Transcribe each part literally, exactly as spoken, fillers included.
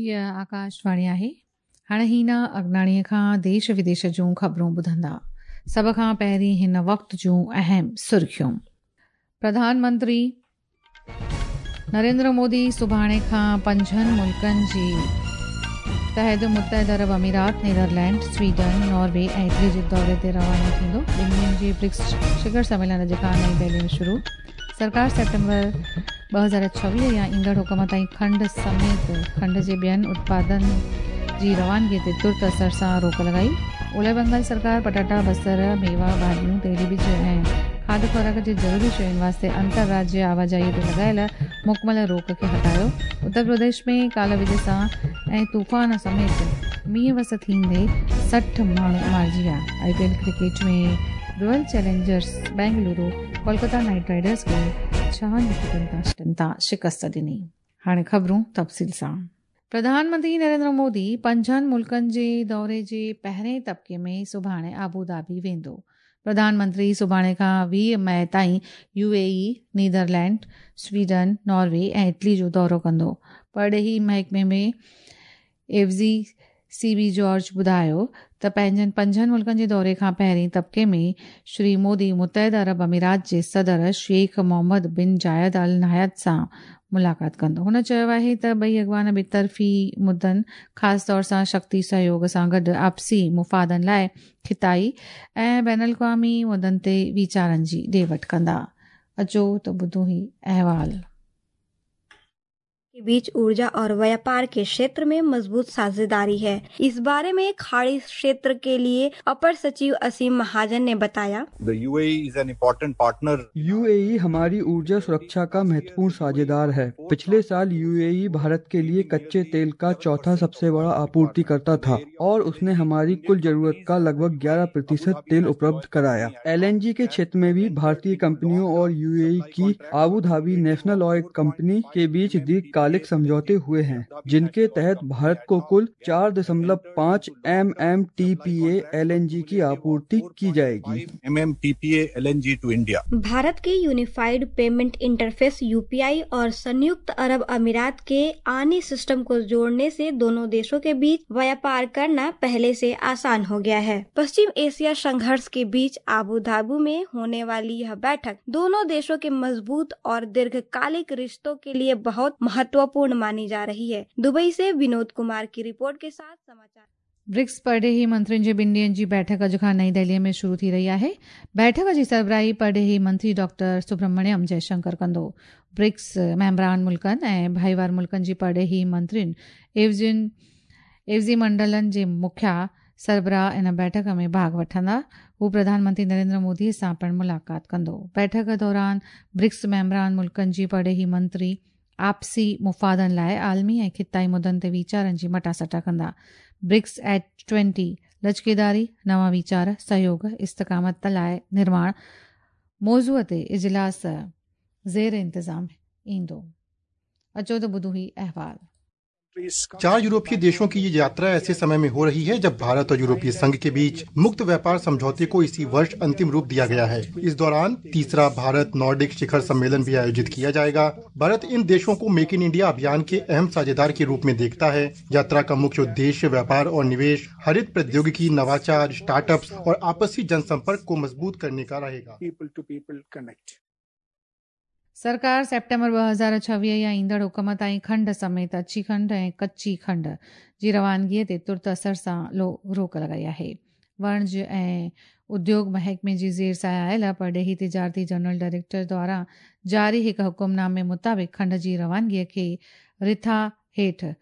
हीअ आकाशवाणी आहे। हाणे हीना अगनाणीअ खां देश विदेश जूं ख़बरूं ॿुधंदा। सभ खां पहिरीं हिन वक़्त जूं अहम सुर्खियूं। प्रधानमंत्री नरेंद्र मोदी सुभाणे खां पंजनि मुल्कनि जी तहत मुत्तहिद अरब अमीरात, नीदरलैंड, स्वीडन, नॉर्वे ऐं इटली जे दौरे ते रवानो थींदो। ॿिनि ॾींहंनि जे ब्रिक्स शिखर सम्मेलन अॼु खां नई दिल्ली में शुरू। सरकार सेप्टेम्बर ॿ हज़ार छवीह या ईंदड़ हुकुम ताईं खंड समेत खंड जे ॿियनि उत्पादन जी रवानगीअ ते तुर्त असर सां रोक लॻाई। ओलह बंगाल सरकार पटाटा, बसर, मेवा, भाॼियूं, तेली बिज ऐं खाध खुराक जे ज़रूरी शयुनि वास्ते अंतरराज्य आवाजाहीअ ते लॻायल मुकमल रोक खे हटायो। उत्तर प्रदेश में काल विज सां ऐं तूफ़ान समेत मींहुं वस थींदे सठि माण्हू मारिजी विया। I P L cricket में Royal Challengers Bengaluru Kolkata Knight Riders खे छहनि विकेटनि तां शिकस्त ॾिनी। हाणे ख़बरूं तफ़सील सां। प्रधानमंत्री नरेंद्र मोदी पंजनि मुल्कनि जे दौरे जे पहिरें तबिके में सुभाणे आबू धाबी वेंदो। प्रधानमंत्री सुभाणे खां वीह मई ताईं U A E, Netherland, Sweden, Norway ऐं इटली जो दौरो कंदो। परॾेही महकमे में एवज़ी सी बी जॉर्ज ॿुधायो त पंहिंजनि पंजनि मुल्कनि जे दौरे खां पहिरीं तबिके में श्री मोदी मुत्तहिद अरब अमीरात जे सदर शेख मोहम्मद बिन जायद अल नाहयान सां मुलाक़ात कंदो। हुन चयो आहे त ॿई अॻवान ॿितरफ़ी मुदनि, ख़ासि तौर सां शक्ति सहयोग सां गॾु आपसी मुफ़ादनि लाइ ख़िताई ऐं बैनुल अक़वामी मुदनि ते वीचारनि जी ॾे वठि कंदा। अचो त ॿुधूं ही अहवाल। के बीच ऊर्जा और व्यापार के क्षेत्र में मजबूत साझेदारी है। इस बारे में खाड़ी क्षेत्र के लिए अपर सचिव असीम महाजन ने बताया। The U A E is an important partner. U A E हमारी ऊर्जा सुरक्षा का महत्वपूर्ण साझेदार है। पिछले साल यू ए ई भारत के लिए कच्चे तेल का चौथा सबसे बड़ा आपूर्तिकर्ता था और उसने हमारी कुल जरूरत का लगभग ग्यारह प्रतिशत तेल उपलब्ध कराया। एल एन जी के क्षेत्र में भी भारतीय कंपनियों और यू ए ई की Abu Dhabi national oil company के बीच दीर्घकालिक समझौते हुए हैं, जिनके तहत भारत को कुल चार दशमलव पाँच M M T P A L N G की आपूर्ति की जाएगी। M M T P A L N G to India. Bharat के unified payment interface U P I और संयुक्त अरब अमीरात के आनी सिस्टम को जोड़ने से दोनों देशों के बीच व्यापार करना पहले से आसान हो गया है। पश्चिम एशिया संघर्ष के बीच आबू धाबी में होने वाली यह बैठक दोनों देशों के मजबूत और दीर्घकालिक रिश्तों के लिए बहुत महत्वपूर्ण मानी जा रही है। दुबई से विनोद कुमार की रिपोर्ट के साथ समाचार। ब्रिक्स परॾेही मंत्रियुनि जे ॿिनि ॾींहंनि जी बैठक अॼु खां नई दिल्लीअ में शुरू थी रही आहे। बैठक जी सरबराही परॾेही मंत्री डॉक्टर सुब्रमण्यम जयशंकर कंदो। ब्रिक्स मेंबरान मुल्कनि ऐं भाईवार मुल्कनि जी परॾेही मंत्रियुनि एवज़ियुनि एवज़ी मंडलनि जे मुखिया सरबराह इन बैठक में भाॻ वठंदा। हू प्रधानमंत्री नरेंद्र मोदीअ सां पिणु मुलाक़ात कंदो। बैठक दौरान ब्रिक्स मेंबरान मुल्कनि जी परॾेही मंत्री आपसी मुफ़ादनि लाइ आलमी ऐं ख़िताई मुदनि ते वीचारनि जी मटासटा कंदा। ब्रिक्स एट ट्वेंटी लचकेदारी, नवां वीचार, सहयोग, इस्तिक़ामत लाइ निर्माण मौज़ूअ ते इजलास ज़ेर इंतज़ाम ईंदो। अचो त ॿुधूं ही अहवाल। चार यूरोपीय देशों की ये यात्रा ऐसे समय में हो रही है जब भारत और यूरोपीय संघ के बीच मुक्त व्यापार समझौते को इसी वर्ष अंतिम रूप दिया गया है। इस दौरान तीसरा भारत नॉर्डिक शिखर सम्मेलन भी आयोजित किया जाएगा। भारत इन देशों को मेक इन इंडिया अभियान के अहम साझेदार के रूप में देखता है। यात्रा का मुख्य उद्देश्य व्यापार और निवेश, हरित प्रौद्योगिकी, नवाचार, स्टार्टअप्स और आपसी जनसंपर्क को मजबूत करने का रहेगा। सरकार सेप्टेम्बर ॿ हज़ार छवीह या ईंदड़ हुकुम ताईं खंड समेत अच्छी खंड ऐं कच्ची खंड जी रवानगीअ ते तुर्त असर सां रोक लॻाई आहे। वणज ऐं उद्योग महकमे जी ज़ेर साया आयल परॾेही तिजारती जनरल डायरेक्टर द्वारा जारी हिकु हुकुमनामे मुताबिक़ खंड जी रवानगीअ खे रिथा हेठि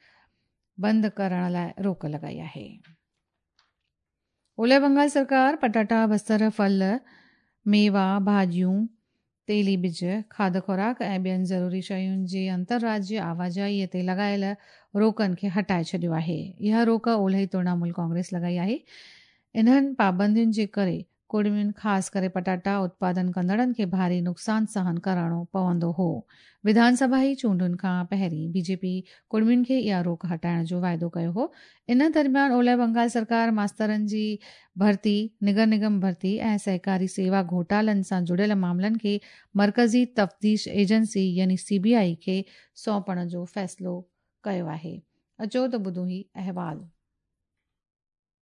बंदि करण लाइ रोक लॻाई आहे। ओलह बंगाल सरकार पटाटा, बसर, फल, मेवा, भाॼियूं, तेली बिज, खाध खुराक ऐं ॿियनि ज़रूरी शयुनि जे अंतरराज्य आवाजाहीअ ते लॻायल रोकनि खे हटाए छॾियो आहे। इहा रोक ओलही तृणमूल कांग्रेस लॻाई आहे। इन्हनि पाबंदियुनि जे करे कुड़मियुनि, ख़ासि करे पटाटा उत्पादन कंदड़नि खे भारी नुक़सानु सहन करणो पवंदो हो। विधानसभाई चूंडुनि खां पहिरीं बीजेपी कुड़मियुनि खे इहा रोक हटाइण जो वाइदो कयो हो। इन दरमियान ओलह बंगाल सरकार मास्तरनि जी भर्ती, निगर निगम भर्ती ऐं सहकारी सेवा घोटालनि सां जुड़ियल मामलनि खे मर्कज़ी तफ़्तीश एजेंसी यानी सी बी I खे सौंपण जो फ़ैसिलो कयो आहे। अचो त ॿुधूं ही अहवाल।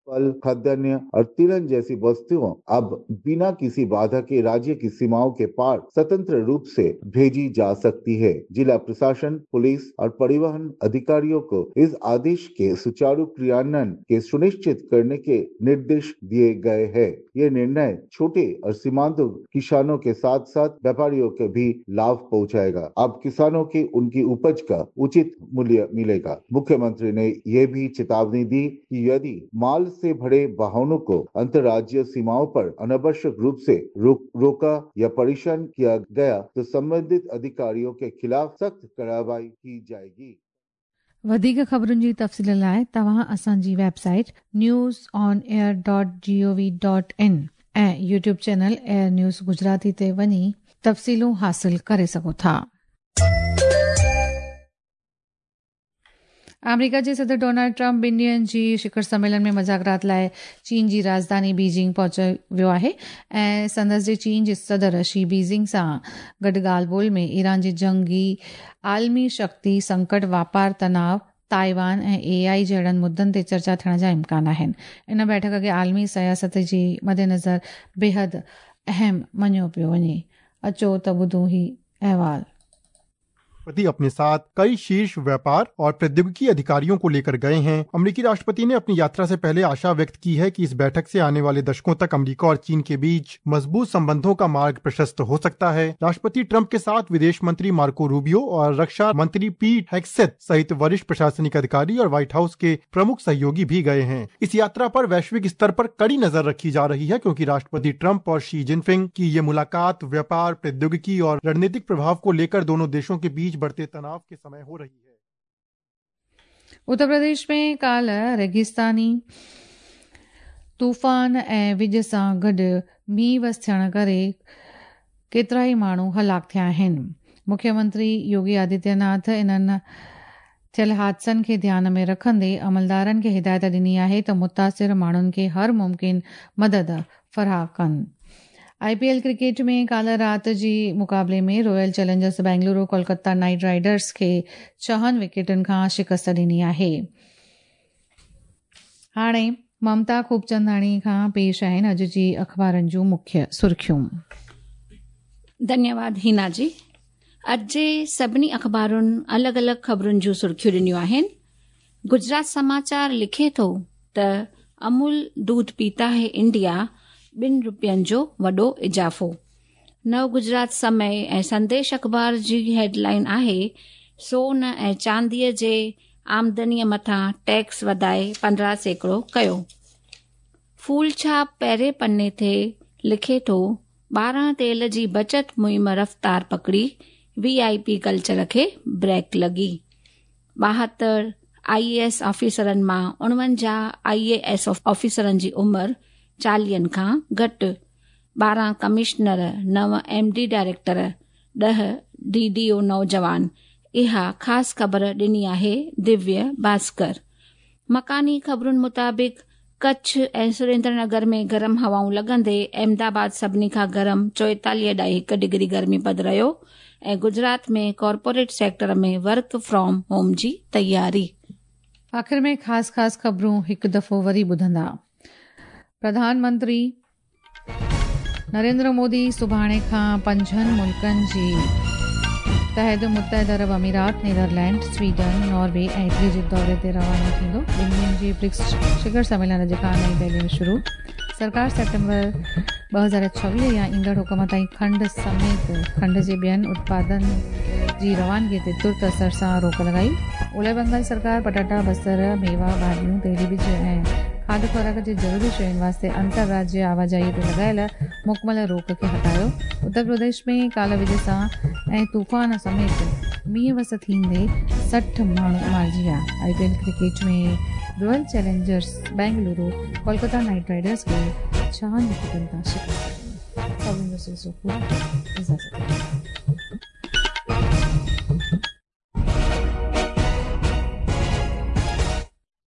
फल, खाद्यान्न और तिलहन जैसी वस्तुओं अब बिना किसी बाधा के राज्य की सीमाओं के पार स्वतंत्र रूप से भेजी जा सकती है। जिला प्रशासन, पुलिस और परिवहन अधिकारियों को इस आदेश के सुचारू क्रियान्वयन के सुनिश्चित करने के निर्देश दिए गए हैं। ये निर्णय छोटे और सीमांत किसानों के साथ साथ व्यापारियों के भी लाभ पहुंचाएगा। अब किसानों की उनकी उपज का उचित मूल्य मिलेगा। मुख्यमंत्री ने यह भी चेतावनी दी कि यदि माल से भरे वाहनों को अंतर्राज्यीय सीमाओं पर अनावश्यक रूप से रोक, रोका या परेशान किया गया तो संबंधित अधिकारियों के खिलाफ सख्त कार्रवाई की जाएगी। वधीक ख़बरुनि जी तफ़सील लाइ तव्हां असांजी website news on air dot G O V dot in ऐं YouTube channel air news Gujarati ते वञी तफ़सीलूं हासिल करे सघो था। आमेरिका जे सदर डोनाल्ड ट्रंप ॿिनि ॾींहनि जी शिखर सम्मेलन में मुज़ाकरात लाइ चीन जी राजधानी बीजिंग पहुची वियो आहे ऐं संदसि जे चीन जे सदर she Beijing सां गॾु ॻाल्हि ॿोल में ईरान जी जंगी, आलमी शक्ति संकट, वापार तनाव, ताइवान ऐं ए आई जहिड़नि मुद्दनि ते चर्चा थियण जा इम्कान आहिनि। इन बैठक खे आलमी सियासत जी मद्देनज़र बेहद अहम मञियो पियो वञे। अचो त ॿुधूं ही अहवाल। राष्ट्रपति अपने साथ कई शीर्ष व्यापार और प्रौद्योगिकी अधिकारियों को लेकर गए हैं। अमेरिकी राष्ट्रपति ने अपनी यात्रा से पहले आशा व्यक्त की है कि इस बैठक से आने वाले दशकों तक अमेरिका और चीन के बीच मजबूत संबंधों का मार्ग प्रशस्त हो सकता है। राष्ट्रपति ट्रंप के साथ विदेश मंत्री मार्को रूबियो और रक्षा मंत्री पीट हेगसेथ सहित वरिष्ठ प्रशासनिक अधिकारी और व्हाइट हाउस के प्रमुख सहयोगी भी गए हैं। इस यात्रा पर वैश्विक स्तर पर कड़ी नजर रखी जा रही है, क्योंकि राष्ट्रपति ट्रंप और शी जिनपिंग की ये मुलाकात व्यापार, प्रौद्योगिकी और रणनीतिक प्रभाव को लेकर दोनों देशों के बीच बढ़ते तनाव के समय हो रही है। उत्तर प्रदेश में काल्ह रेगिस्तानी तूफ़ान ऐं विज सां गॾु मींहुं वस थियण करे केतिरा ई माण्हू हलाक थिया आहिनि। मुख्यमंत्री योगी आदित्यनाथ इन्हनि थियल हादसनि खे ध्यान में रखंदे अमलदारनि खे हिदायत ॾिनी आहे त मुतासिर माण्हुनि खे हर मुमकिन मदद फराहम कनि। I P L cricket में काल्ह राति जी मुक़ाबले में Royal Challengers Bengaluru Kolkata Knight Riders खे छहनि विकेटुनि खां शिकस्त ॾिनी आहे। हाणे ममता खूबचंदाणी खां पेश आहिनि अॼु जी अख़बारनि जूं मुख्य सुर्खियूं। धन्यवाद हिना जी। अॼु जे सभिनी अख़बारुनि अलॻि अलॻि ख़बरुनि जूं सुर्खियूं ॾिनियूं आहिनि। गुजरात समाचार लिखे थो त अमूल दूध पीता है इंडिया ॿिनि रुपयनि जो वॾो इज़ाफ़ो। नव गुजरात समय ऐं संदेश अख़बार जी हेडलाइन आहे सोन ऐं चांदीअ जे आमदनीअ मथां टैक्स वधाए पंद्रहं सैकड़ो कयो। फूल छाप पहिरें पन्ने ते लिखे थो ॿारहं तेल जी बचत मुहिम रफ़्तार पकड़ी, वी I P culture खे ब्रेक लॻी। ॿाहतरि I A S ऑफिसरनि मां उणवंजाह आई ए एस ऑफिसरनि जी उमिरि चालीहनि खां घटि। ॿारहं कमिश्नर, नव एम डी डायरेक्टर, ॾह डी डी ओ नौजवान। इहा ख़ासि ख़बर ॾिनी आहे दिव्य भास्कर। मकानी ख़बरुनि मुताबिक़ कच्छ ऐं सुरेंद्रनगर में गरम हवाऊं लॻंदे अहमदाबाद सभिनी खां गरम चोएतालीह ॾाई हिकु डिग्री गर्मी पद रहियो ऐं गुजरात में corporate sector में वर्क फ्रॉम होम जी तयारी। आख़िर में ख़ासि ख़ासि ख़बरूं हिकु दफ़ो वरी ॿुधंदा। प्रधानमंत्री नरेंद्र मोदी सुभाणे खां पंजनि मुल्कनि जी तहत मुत्तहिद अरब अमीरात, नीदरलैंड, स्वीडन, नॉर्वे ऐं इटली जे दौरे ते रवानो थींदो। ॿिनि ॾींहनि जे ब्रिक्स शिखर सम्मेलन अॼु खां नई दिल्ली में शुरू। सरकार सेप्टेम्बर ॿ हज़ार छवीह या ईंदड़ हुकुम ताईं खंड समेत खंड जे ॿियनि उत्पादन जी रवानगी ते तुर्त असर सां रोक लॻाई। ओलह बंगाल सरकार पटाटा, बसर, मेवा, भाॼियूं, तेली बिज ऐं खाध खुराक जे ज़रूरी शयुनि वास्ते अंतर्राज्य आवाजाही ते लॻायल मुकमल रोक खे हटायो। उत्तर प्रदेश में काल्ह विज सां ऐं तूफ़ान समेत मींहुं वस थींदे सठि माण्हू मारिजी विया। I P L cricket में Royal Challengers Bengaluru Kolkata Knight Riders खे छहनि विकेटुनि तां शिकस्त ॾिनी।